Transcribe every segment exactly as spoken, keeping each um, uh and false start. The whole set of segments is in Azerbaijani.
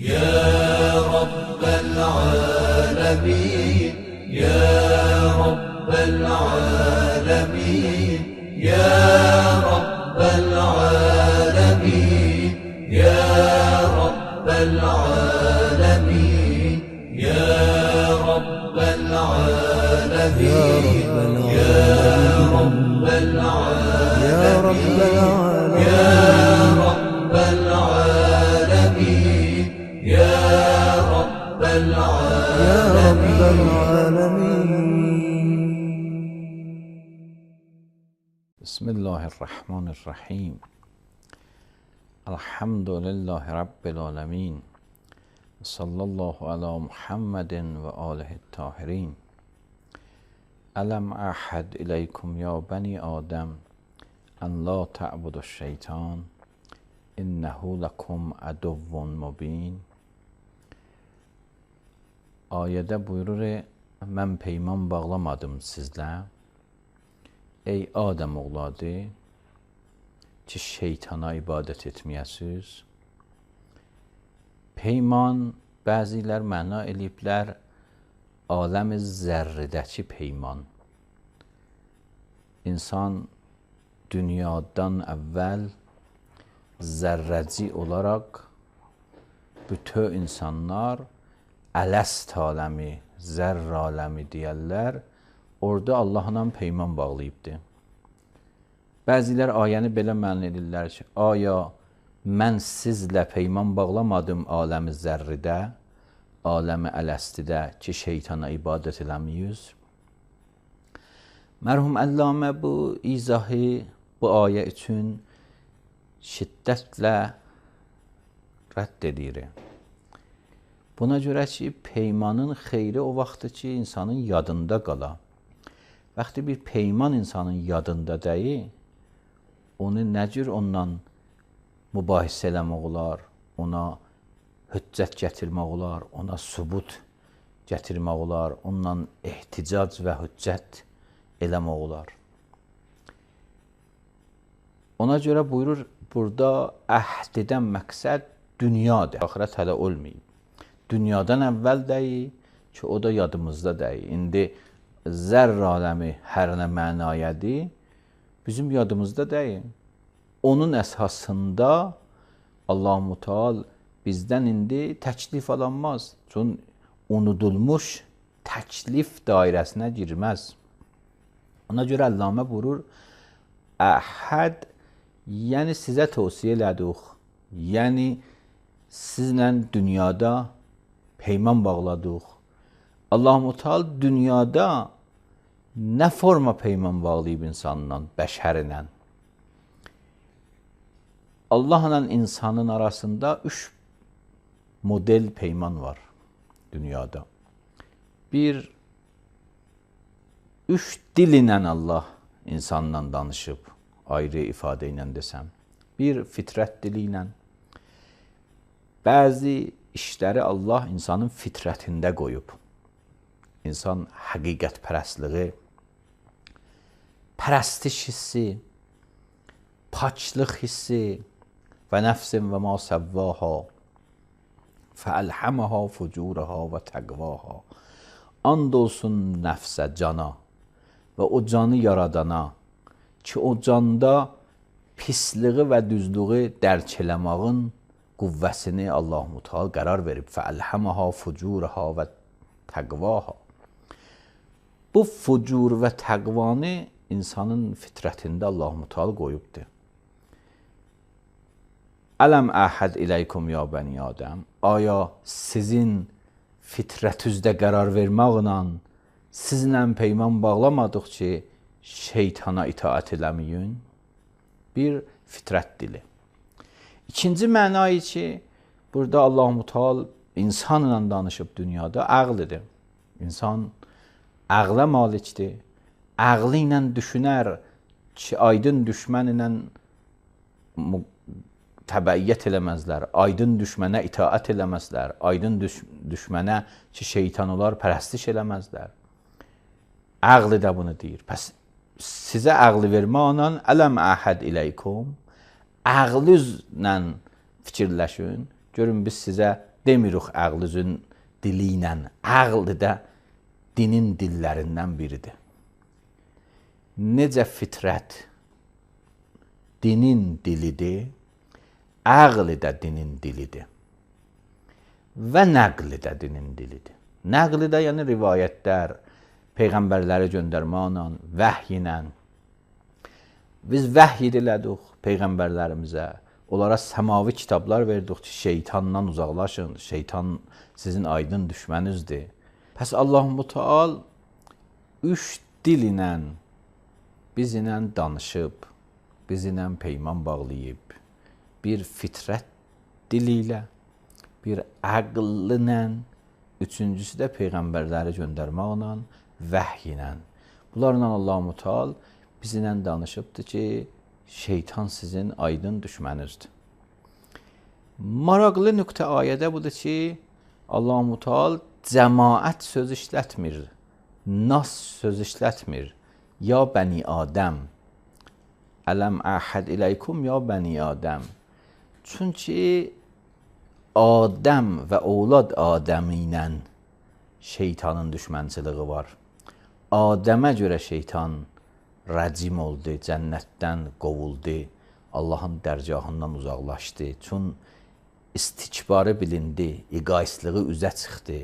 يا رب العالمين يا رب العالمين يا رب العالمين يا رب العالمين يا رب العالمين يا رب العالمين يا رب العالمين يا رب العالمين. بسم الله الرحمن الرحیم. الحمد لله رب العالمین. صلی الله علی محمد و آله الطاهرین. الم اعهد الیکم یا بنی آدم ان لا تعبدوا الشیطان انه لکم عدو مبین. Ayədə buyurur, mən peyman bağlamadım sizlə, ey Adəm oğladı, ki şeytana ibadət etməyəsiz. Peyman, bəzilər məna eləyiblər, aləm-i zərridəki peyman. İnsan dünyadan əvvəl zərrəci olaraq bütün insanlar ələst aləmi, zərr aləmi deyərlər, orada Allahla peyman bağlayıbdır. Bəzilər ayəni belə məna edirlər ki, aya mən sizlə peyman bağlamadım aləmi zərridə, aləmi ələstidə ki, şeytana ibadət eləməyiz. Mərhum Əllamə bu izahı bu ayə üçün şiddətlə rədd edir. Buna görə ki, peymanın xeyri o vaxtdır ki, insanın yadında qala. Vaxtı bir peyman insanın yadında deyil, onu nə cür ondan mübahisə eləmək olar, ona hüccət gətirmək olar, ona sübut gətirmək olar, ondan ehticac və hüccət eləmək olar. Ona görə buyurur, burada əhd edən məqsəd dünyadır, axirət hələ olmayıb. Dünyadan əvvəl deyil ki, o da yadımızda deyil. İndi zərr aləmi hər nə mənayədir, bizim yadımızda deyil. Onun əsasında Allah-u Teala bizdən indi təklif alanmaz. Çünki unudulmuş təklif dairəsinə girməz. Ona görə Əllamə buyurur, əhəd, yəni sizə tövsiyə elədik, yəni sizlə dünyada peyman bağladıq. Allah-u Teala dünyada nə forma peyman bağlayıb insanla, bəşərlə? Allahla insanın arasında üç model peyman var dünyada. Bir, üç dil ilə Allah insanla danışıb, ayrı ifadə ilə desəm. Bir, fitrət dili ilə. Bəzi işləri Allah insanın fitrətində qoyub. İnsan həqiqət pərəstliyi, pərəstiş hissi, paçlıq hissi və nəfsin və ma səvvaha fəəlhəməha fucuraha və təqvaha. And olsun nəfsə, cana və o canı yaradana ki, o canda pisliği və düzlüğü dərk eləmağın qüvvəsini Allah-u Teala qərar verib. Fəəlhəməha fucuraha və təqvaha. Bu fucur və təqvanı insanın fitrətində Allah-u Teala qoyubdur. Ələm əhəd iləykum ya bəni Adəm. Aya sizin fitrətüzdə qərar verməklə sizlə peyman bağlamadıq ki, şeytana itaət eləməyin. Bir, fitrət dili. İkinci mənayı ki, burada Allah-u Teala insanla danışıb dünyada, ağlıdır. İnsan ağla malikdir. Ağlı ilə düşünər ki, aydın düşmən ilə təbəiyyət eləməzlər, aydın düşmənə itaət eləməzlər, aydın düş düşmənə ki, şeytan olar, pərəstiş eləməzlər. Ağlı da bunu deyir. Pəs sizə ağlı verməklə ələm əhəd iləykum, ağlınızla fikirləşin, görün biz sizə demirik ağlızın dili ilə. Ağl da dinin dillərindən biridir. Necə fitrət dinin dilidir, ağl da dinin dilidir. Və nəql də dinin dilidir. Nəql də yəni rivayətlər, peyğəmbərləri göndərməklə, vəhy ilə. Biz vəhy elədik peyğəmbərlərimizə. Onlara səmavi kitablar verdik ki, şeytandan uzaqlaşın. Şeytan sizin aydın düşmənizdir. Pəs Allah-u Teala üç dil ilə bizlə danışıb, bizlə peyman bağlayıb. Bir fitrət dili ilə, bir ağl ilə, üçüncüsü də peyğəmbərləri göndərməklə, vəhy ilə. Bunlarla Allah-u Teala bizlə danışıbdır ki, şeytan sizin aydın düşməninizdir. Maraqlı nöqtə ayədə budur ki, Allah-u Teala cəmaət söz işlətmir, nas söz işlətmir. Ya bəni Adəm, ələm əhəd iləykum ya bəni Adəm. Çünki Adəm və oğlad Adəmi ilə şeytanın düşmənçiliyi var. Adəmə görə şeytan rəcim oldu, cənnətdən qovuldu, Allahın dərgahından uzaqlaşdı. Çün istikbarı bilindi, egoistliği üzə çıxdı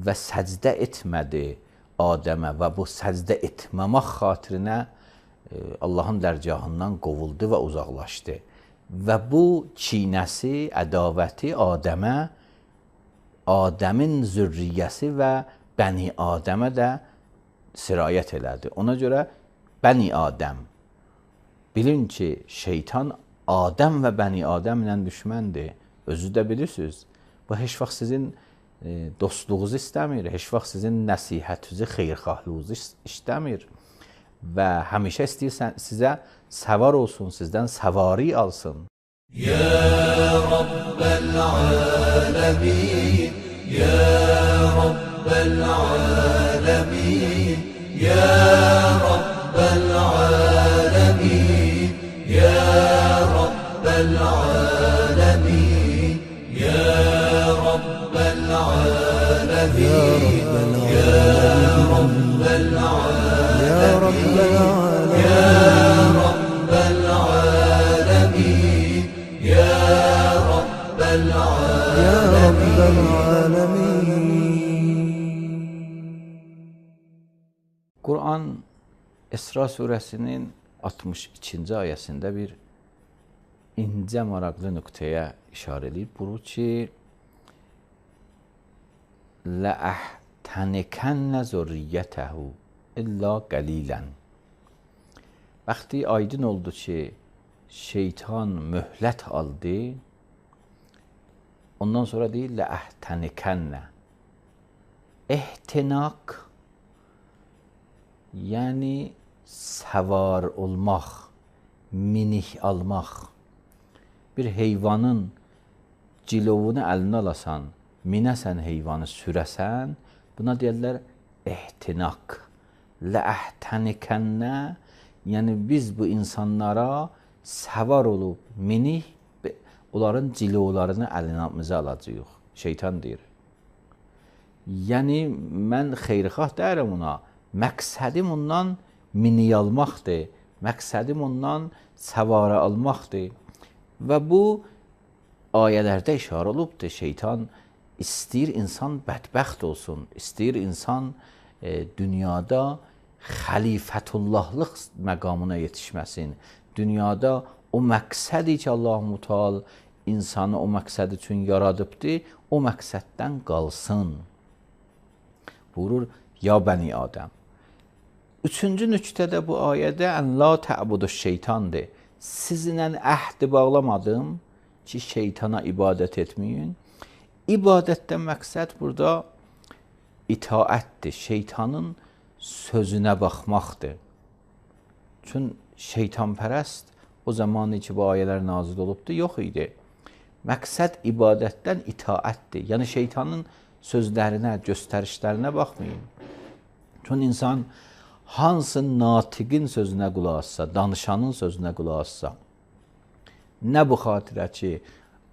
və səcdə etmədi Adəmə və bu səcdə etməmək xatirinə Allahın dərgahından qovuldu və uzaqlaşdı. Və bu kinəsi, ədavəti Adəmə, Adəmin zürriyyəsi və bəni Adəmə də sirayət elədi. Ona görə bəni Adəm, bilin ki, şeytan Adəm və bəni Adəm ilə düşməndir. Özü də bilirsiniz, bu heç vaxt sizin dostluğunuzu istəmir, heç vaxt sizin nəsihətinizi, xeyrxahlığınızı istəmir və həmişə istəyirsən sizə səvar olsun, sizdən səvari alsın. Ya Rabbəl aləmin, Ya Rabbəl aləmin, Ya Rabbəl aləmin, Ya Rabbəl aləmin, Ya Rabbəl aləmin, Ya Rabbəl aləmin, Ya Rabbəl aləmin, Ya Rabbəl aləmin, Ya Rabbəl Ya Rabbəl aləmin. Quran İsra surəsinin altmış ikinci ayəsində bir incə maraqlı nöqtəyə işarə edib. Buyurur ki, لَأَحْتَنِكَنَّ زُرِّيَّتَهُ إِلَّا قَلِيلًا. Vaxtı aydın oldu ki, şeytan möhlət aldı. Ondan sonra deyir, لَأَحْتَنِكَنَّ. İhtinak, yəni səvar olmaq, minik almaq. Bir heyvanın cilovunu əlinə alasan, minəsən heyvanı sürəsən, buna deyirlər ihtinak. Ləəhtənikənnə, yəni biz bu insanlara səvar olub, minik, onların cilovlarını əlinəmizə alacağıq. Şeytan deyir. Yəni, mən xeyrxah deyirəm ona, məqsədim ondan minik almaqdır, məqsədim ondan səvara almaqdır. Və bu ayələrdə işarə olubdur, şeytan istəyir insan bədbəxt olsun, istəyir insan e, dünyada xəlifətullahlıq məqamına yetişməsin. Dünyada o məqsədi ki, Allah-u Teala insanı o məqsəd üçün yaradıbdır, o məqsəddən qalsın. Buyurur, ya bəni Adəm. Üçüncü nüktədə bu ayədə ən la tə'budu şeytandır. Sizinlə əhdi bağlamadım ki, şeytana ibadət etməyin. İbadətdən məqsəd burada itaətdir, şeytanın sözünə baxmaqdır. Çünki şeytanpərəst o zamanı ki, bu ayələr nazil olubdur, yox idi. Məqsəd ibadətdən itaətdir. Yəni, şeytanın sözlərinə, göstərişlərinə baxmayın. Çünki insan hansı natiqin sözünə qulaq assa, danışanın sözünə qulaq assa, nə bu xatirə ki,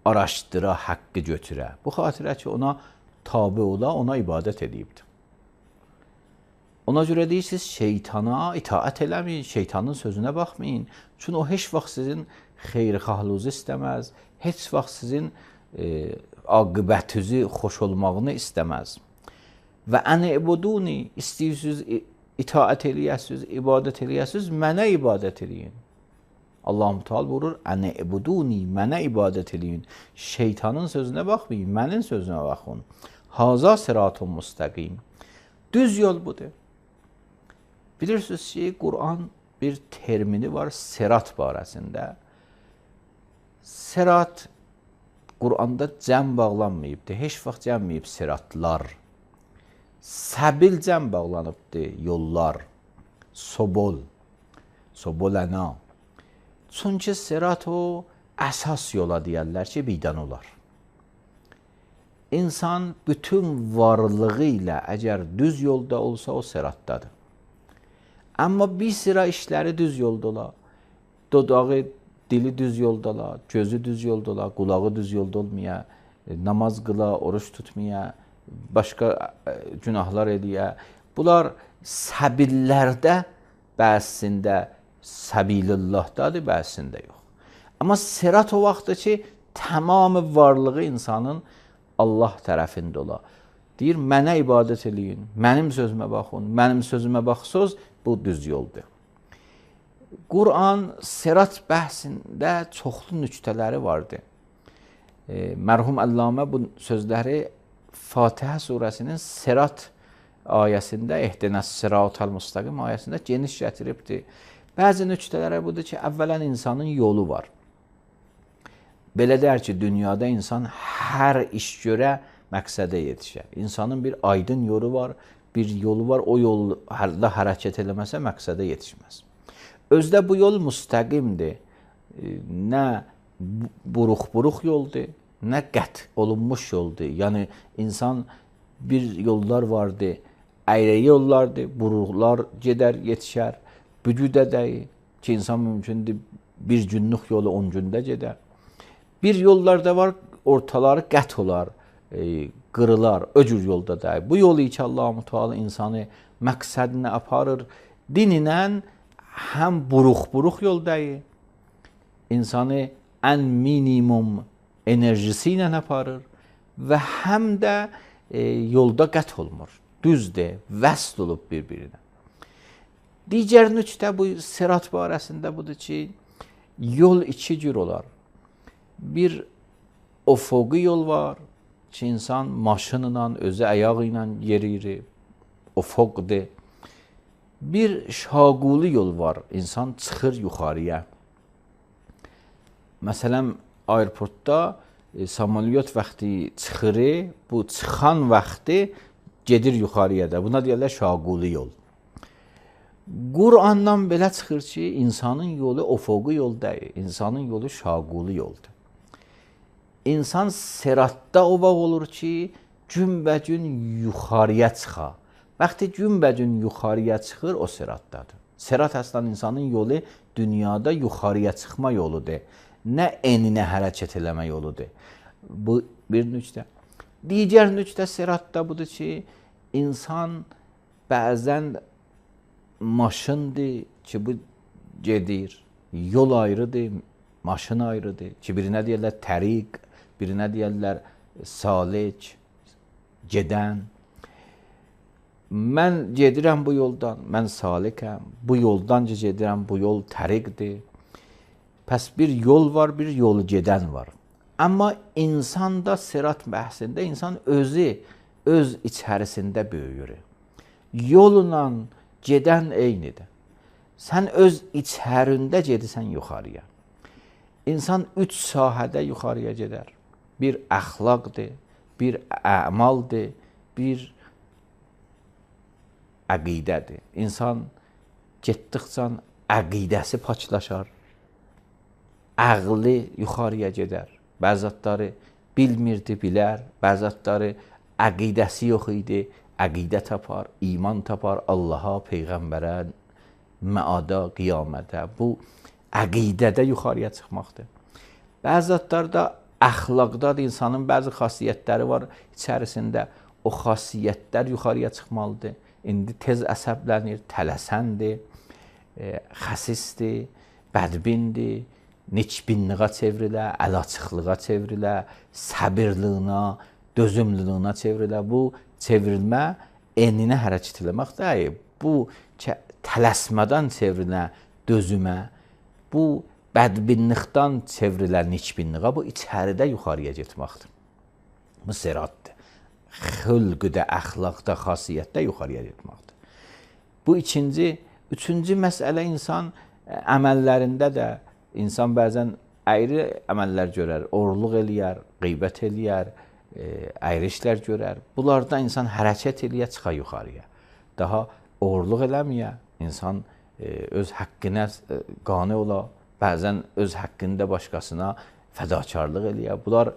araşdıra, haqqı götürə. Bu xatirə ki, ona tabi ola, ona ibadət edibdir. Ona görə deyirsiniz, şeytana itaət eləməyin, şeytanın sözünə baxmayın. Çünki o heç vaxt sizin xeyirxahlığınızı istəməz, heç vaxt sizin e, aqibətinizi xoş olmağını istəməz. Və əni ibuduni, istəyirsiniz, itaət eləyəsiniz, ibadət eləyəsiniz, mənə ibadət eləyin. Allah-u Teala buyurur, əni ibuduni, mənə ibadət eləyin. Şeytanın sözünə baxmayın, mənim sözünə baxın. Haza sıratun müstəqim. Düz yol budur. Bilirsiniz ki, Quran bir termini var sirat barəsində. Sirat Quranda cəm bağlanmayıbdır. Heç vaxt cəmməyib siratlar. Səbil cəm bağlanıbdır, yollar. Sobol, sobolana. Çünki sirat o əsas yola deyərlər ki, birdən olar. İnsan bütün varlığı ilə əgər düz yolda olsa, o siratdadır. Amma bir sıra işləri düz yolda ola, dodağı, dili düz yolda ola, gözü düz yolda ola, qulağı düz yolda olmaya, namaz qıla, oruç tutmaya, başqa günahlar eləyə. Bunlar səbillərdə bəzisində səbilullahdadır, bəzisində yox. Amma sirat o vaxtdır ki, tamamı varlığı insanın Allah tərəfində ola. Deyir, mənə ibadət eləyin, mənim sözümə baxın, mənim sözümə baxsınız, bu düz yoldur. Quran sirat bəhsində çoxlu nüktələri vardır. E, mərhum Əllamə bu sözləri Fatihə surəsinin sirat ayəsində, ehdinəs sıratal müstəqim ayəsində geniş gətiribdir. Bəzi nüktələri budur ki, əvvələn insanın yolu var. Belə deyər ki, dünyada insan hər iş görə məqsədə yetişər. İnsanın bir aydın yolu var, bir yolu var, o yolda hərəkət eləməsə məqsədə yetişməz. Özdə bu yol müstəqimdir. Nə buruq-buruq yoldur, nə qət olunmuş yoldur. Yəni, insan bir yollar vardır, əyrə yollardır, buruqlar gedər, yetişər. Bücüdə deyil ki, insan mümkündür bir günlük yolu on gündə gedər. Bir yollarda var, ortaları qət olar, e, qırılar, öcür yolda deyil. Bu yolu ki, Allah-u Teala insanı məqsədinə aparır, dininən həm buruq-buruq yol deyil, insanı ən minimum enerjisi ilə aparır və həm də e, yolda qət olmur. Düzdür, vəsl olub bir-birinə. Digər nüktə bu sirat barəsində budur ki, yol iki cür olar. Bir ofoqi yol var ki, insan maşınla, özü ayağı ilə yeriyir, ofoqdur. Bir şaquli yol var, insan çıxır yuxarıya. Məsələn, aeroportda e, samolyot vaxtı çıxır, bu çıxan vaxtı gedir yuxarıya da. Buna deyirlər şaquli yol. Qurandan belə çıxır ki, insanın yolu ofoqi yol deyil, insanın yolu şaquli yoldur. İnsan siratda o vaxt olur ki, günbəcün yuxarıya çıxa. Vaxtı günbəcün yuxarıya çıxır, o siratdadır. Sirat əslən insanın yolu dünyada yuxarıya çıxma yoludur. Nə eninə hərəkət eləmə yoludur. Bu bir nüktə. Digər nüktə siratda budur ki, insan bəzən maşındır ki, bu gedir. Yol ayrıdır, maşın ayrıdır ki, birinə deyərlər təriq, birinə deyərlər salik, gedən. Mən gedirəm bu yoldan, mən salikəm, bu yoldan gedirəm, bu yol təriqdir. Pəs bir yol var, bir yolu gedən var. Amma insanda sirat bəhsində insan özü, öz içərisində böyüyür. Yolla gedən eynidir. Sən öz içərində gedirsən yuxarıya. İnsan üç sahədə yuxarıya gedər. Bir əxlaqdır, bir əmaldır, bir əqidədir. İnsan getdikcə əqidəsi paçlaşar. Əqli yuxarıya gedər. Bəzatları bilmirdi, bilər. Bəzatları əqidəsi yox idi. Əqidə tapar, iman tapar Allaha, Peyğəmbərə, məada, qiyamətə. Bu əqidədə yuxarıya çıxmaqdır. Bəzatlarda əxlaqda da insanın bəzi xasiyyətləri var, içərisində o xasiyyətlər yuxarıya çıxmalıdır. İndi tez əsəblənir, tələsəndir, e, xəsisdir, bədbindir, neçbinliğə çevrilə, əlaçıqlığa çevrilə, səbirliyinə, dözümlülüyünə çevrilə. Bu çevrilmə eninə hərəkət eləmək deyil. Bu tələsmədən çevrilə dözümə, bu bədbinlikdən çevrilən neçbinliğə, bu içəridə yuxarıya getməkdir. Bu siratdır. Xülqüdə, əxlaqda, xasiyyətdə yuxarıya getməkdir. Bu ikinci, üçüncü məsələ insan əməllərində də insan bəzən əyri əməllər görər, oğurluq eləyər, qeybət eləyər, əyri işlər görər. Bunlarda insan hərəkət eləyə, çıxa yuxarıya. Daha oğurluq eləməyə, insan öz haqqına qane ola, bəzən öz haqqında başqasına fədakarlıq eləyə. Bunlar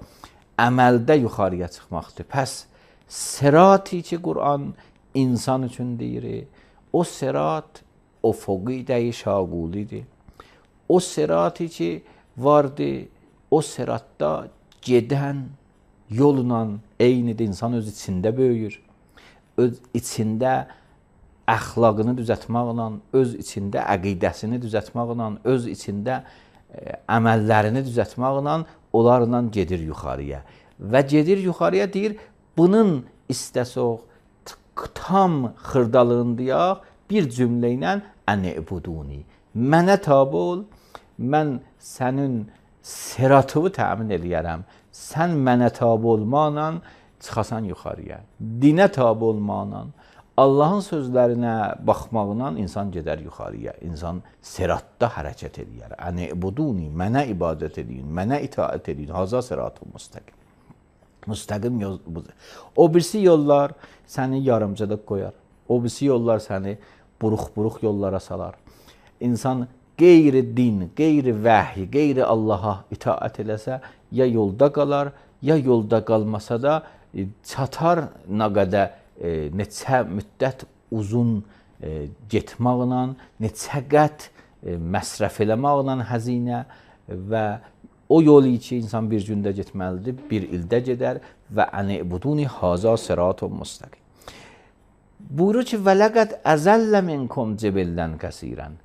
əməldə yuxarıya çıxmaqdır. Pəs sirati ki, Qur'an insan üçün deyir, o sirat o foqidə-i şaqulidir. O sirati ki vardır, o siratda gedən yolla eynidir. İnsan öz içində böyüyür. Öz içində əxlaqını düzəltməklə, öz içində əqidəsini düzəltməklə, öz içində əməllərini düzəltməklə onlarla gedir yuxarıya. Və gedir yuxarıya deyir, bunun istəsək tam xırdalığındayaq bir cümlə ilə ən-ibuduni. Mənə tabe ol, mən sənin siratını təmin eləyərəm. Sən mənə tabe olmaqla çıxasan yuxarıya. Dinə tabe olmaqla, Allahın sözlərinə baxmaqla insan gedər yuxarıya. İnsan siratda hərəkət eləyər. Ən-ibuduni, mənə ibadət edin, mənə itaət edin. Haza siratun müstəqim. Müstəqim yol budur. O birisi yollar səni yarımcılıq qoyar. O birisi yollar səni buruq-buruq yollara salar. İnsan qeyri din, qeyri vəhy, qeyri Allaha itaət eləsə, ya yolda qalar, ya yolda qalmasa da çatar nə qədər e, neçə müddət uzun e, getməklə, neçə qət e, məsrəf eləməklə həzinə və o yolu ki, insan bir gündə getməlidir, bir ildə gedər və ən-ibuduni haza siratun müstəqim. Buyurur ki, və ləqəd əzəllə minkum cibillən kəsirən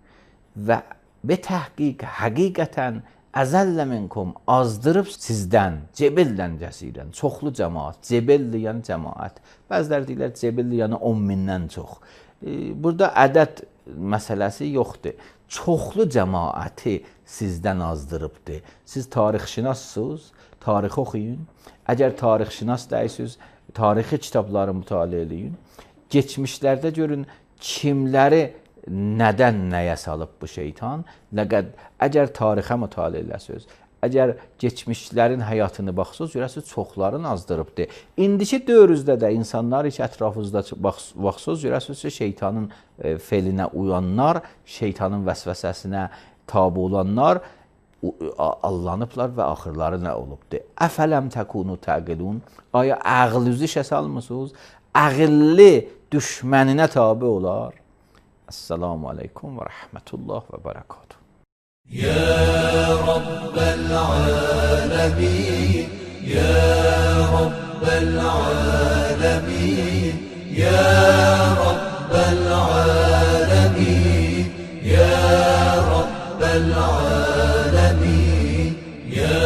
və be təhqiq, həqiqətən əzəllə minkum azdırıb sizdən, cibillən kəsirən, çoxlu cəmaat, cibilli yəni cəmaat. Bəzilər deyirlər, cibilli yəni on mindən çox. E, burada ədəd məsələsi yoxdur. Çoxlu cəmaəti sizdən azdırıbdır. Siz tarixşünassınız, tarix oxuyun. Əgər tarixşünas deyilsiniz, tarixi kitabları mütaliə eləyin. Geçmişlərdə görün kimləri nədən nəyə salıb bu şeytan. Ləqəd əgər tarixə mütaliə eləsiniz, əgər geçmişlərin həyatını baxsınız, görəsiniz çoxların azdırıbdır. İndiki dövrümüzdə də insanlar ki, ətrafınızda baxsınız, görəsiniz ki, şeytanın e, felinə uyanlar, şeytanın vəsvəsəsinə tabi olanlar allanıblar və axırları nə olubdur? Əfələm təkunu təqilun. Aya ağlınızı işə salmısınız? Ağıllı düşməninə tabi olar. Esselamu aleykum və rəhmətullah və bərəkatuhu. يا رب العالمين يا رب العالمين يا رب العالمين يا رب العالمين يا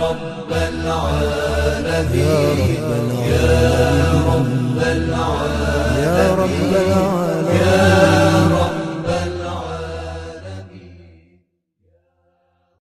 رب العالمين يا